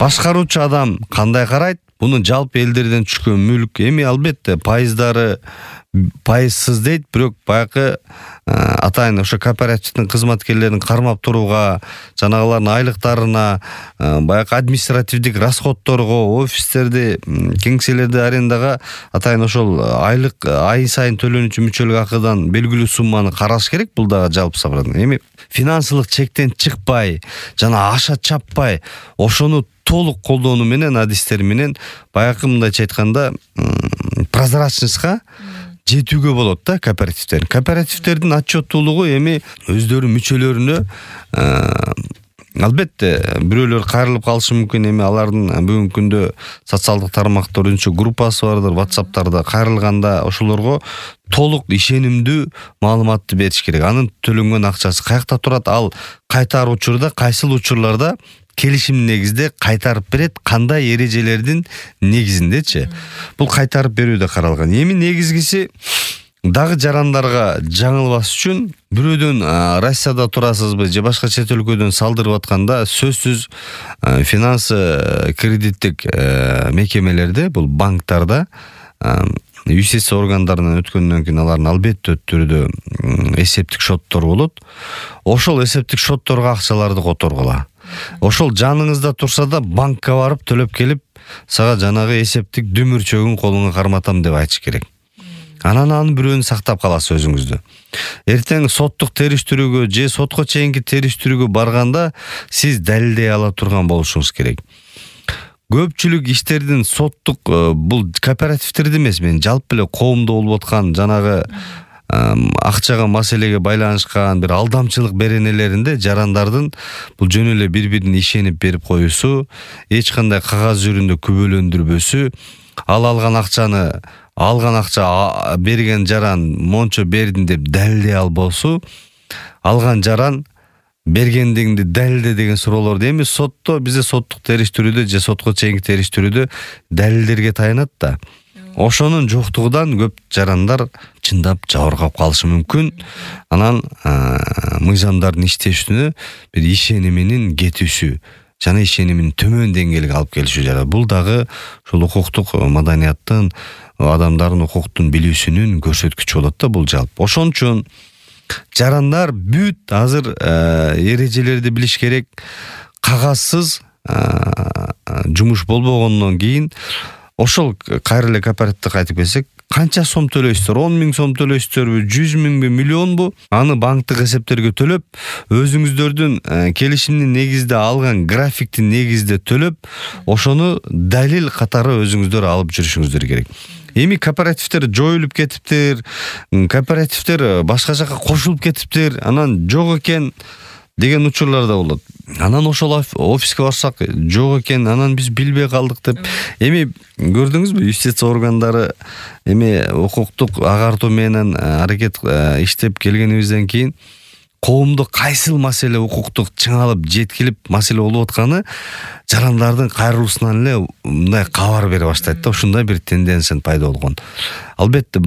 Башкаруучу адам кандай карайт? Буну жалпы элдерден түшкөн мүлк. Эми албетте пайыздары пайызсыз дейт, бирок баягы атайын ошо кооперативдин кызматкерлерин кармап турууга, жанагылардын айлыктарына, баягы административдик расходторго, офистерди, кеңселерди арендага атайын ошол айлык ай сайын төлөнүүчү мүчөлүк акыдан белгилүү сумманы караш керек. Бул дагы жалпы сабырдан. Эми финансылык чектен чыкпай, жана аша чаппай, ошону толук колдонуу менен, адистер менен баягы мындайча айтканда прозрачностька жетүүгө болот да кооперативдер. Кооперативдердин отчеттуулугу эми өздөрүнүн мүчөлөрүнө албетте бирөөлөр кайрылып калышы мүмкүн. Эми алардын бүгүнкү күндө социалдык тармактар үчүн группасы бардыр, WhatsApp'тарда кайрылганда ошолорго толук ишенимдүү маалыматты бериш керек. Анын төлөнгөн акчасы каякта турат, ал кайтар учурда, кайсыл учурларда келишим негизде кайтарып берет, кандай эрежелердин негизиндечи. Бул кайтарып берүүдө каралган. Эми негизгиси дагы жарандарга жаңылбас үчүн бирөөдөн Россияда турасызбы же башка чет өлкөдөн салдырып атканда сөзсүз финансы кредиттик мекемелерде, бул банктарда юстиция органдарынан өткөндөн кийин алардын албетте түрдө эсептик шоттор болот. Ошол эсептик шотторго акчаларды которгула. Ошол жаныңызда турса да банкка барып төлөп келип, сага жанагы эсептик дүмүрчөгүн колуңа карматам деп айтыш керек. Анан бирөөнү сактап каласыз өзүңүздү. Эртең соттук териштирүүгө же сотко чейинки териштирүүгө барганда сиз далилдей ала турган болушуңуз керек. Көпчүлүк иштердин соттук бул кооперативдерде эмес, мен жалпы эле коомдо болуп аткан жанагы акчага маселеге байланышкан бир алдамчылык беренелеринде жарандардын бул жөн эле бири-бирине ишенип берип коюусу, эч кандай кагаз жүрүндө күбөлөндүрбөсү, алган акча берген жаран мончо бердим деп далилдей албосу, алган жаран бергендигинди далилде деген суроолорду эми сотто, бизде соттук териштирүүдө же сотко чейинки териштирүүдө далилдерге таянат да. Ошонун жоктугунан көп жарандар чындап жабыркап калышы мүмкүн. Анан мыйзамдардын иштешүнө бир ишениминин кетүүсү жана ишенимин төмөн деңгээлге алып келиши жарат. Бул дагы ушул укуктук маданияттын, адамдардын укуктун билүүсүнүн көрсөткүчү болот да бул жалпы. Ошон үчүн жарандар бүт азыр эрежелерди билиш керек. Кагазсыз жумуш болбогондон кийин ошол кайра эле кооперативде кайтып келсек, канча сом төлөйсүздөр? 10 000 сом төлөйсүздөрбү, 100 000бы, миллионбу? Аны банктык эсептерге төлөп, өзүңүздөрдүн келишимдин негизде алган графиктин негизде төлөп, ошону далил катары өзүңүздөр алып жүрүшүңүздөр керек. Эми кооперативдер жоюлуп кетиптир, кооперативдер башка жака кошулуп кетиптир, анан жок экен деген учурлар да болот. Анан ошол офиске барсак жок экен, анан биз билбей калдык деп. Эми көрдүңүзбү, юстиция органдары эми укуктук агартуу менен аракет иштеп келгенибизден кийин коомдо кайсыл маселе укуктук чыңалып жеткилип маселе болуп атканы жарандардын кайрылуусунан эле мындай кабар бере баштайт да. Ушундай бир тенденция пайда болгон. Албетте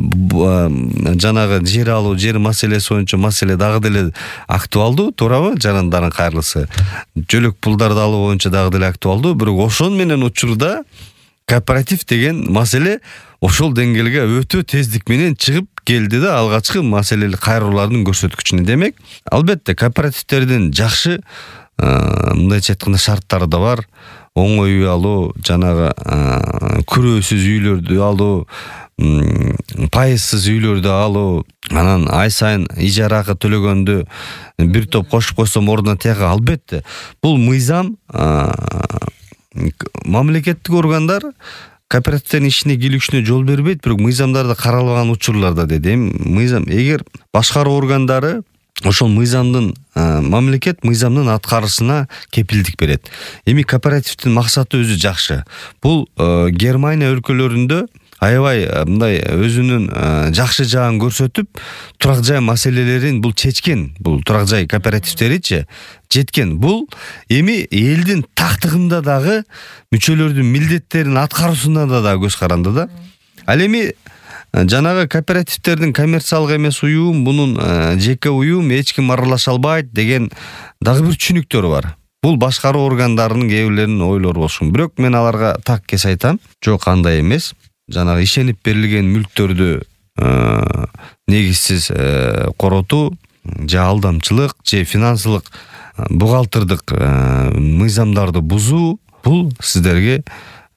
жанагы жер алуу, жер маселеси боюнча маселе дагы деле актуалдуу, туурабы? Жарандардын кайрылысы. Жөлөк пулдарды алуу боюнча дагы деле актуалдуу, бирок ошон менен учурда кооператив деген маселе ошол деңгээлге өтө тездик менен чыгып келди да, алгачкы маселелик кайрылуулардын көрсөткүчүнө. Демек, албетте кооперативдердин жакшы мындайча айтканда шарттары да бар. Оңой үй алуу, жанагы күрөөсүз үйлөрдү алуу, пайызсыз үйлөрдү алуу, анан ай сайын ижара акы төлөгөндү бир топ кошуп койсом ордуна тияка. Албетте, бул мыйзам мамлекеттик органдар кооперативдердин ишине кийлигишине жол бербейт, бирок мыйзамдарда каралган учурларда деди. Эми мыйзам, эгер башкаруу органдары ошол мыйзамдын мамлекет мыйзамдын аткарышына кепилдик берет. Эми кооперативдин максаты өзү жакшы. Бул Германия өлкөлөрүндө аябай мындай өзүнүн жакшы жагын көрсөтүп, турак жай маселелерин бул чечкен. Бул турак жай кооперативдеричи жеткен. Бул эми элдин тактыгында дагы мүчөлөрдүн милдеттерин аткаруусунда да көз каранды да. Ал эми жанагы кооперативдердин коммерциялык эмес уюм, бунун жеке уюм, эч ким аралаша албайт деген дагы бир түшүнүктөр бар. Бул башкаруу органдарынын кээ бирлеринин ойлору болушу мүмкүн. Бирок мен аларга так кес айтам, жок андай эмес. Жанагы ишенип берилген мүлктөрдү негизсиз коротуу же алдамчылык же финансылык бухгалтердик мыйзамдарды бузуу бул сиздерге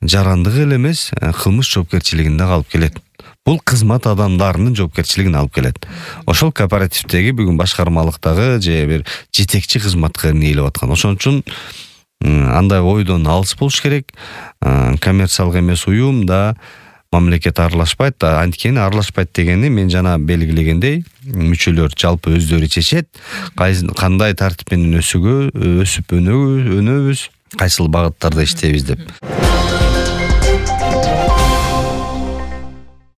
жарандык эле эмес, кылмыш жоопкерчилигине алып келет. Бул кызмат адамдарынын жоопкерчилигине алып келет. Ошол кооперативдеги бүгүн башкармалыктагы же бир жетекчи кызматкер ийилип аткан. Ошон үчүн андай ойдон алыс болуш керек. Коммерциялык эмес уюм да мамлекет аралашпайт. Анткени аралашпайт дегени мен жана белгилегендей, мүчөлөр жалпы өздөрү чечет. Кандай тартип менен өсүп өнөбүз, кайсыл багыттарда иштейбиз деп.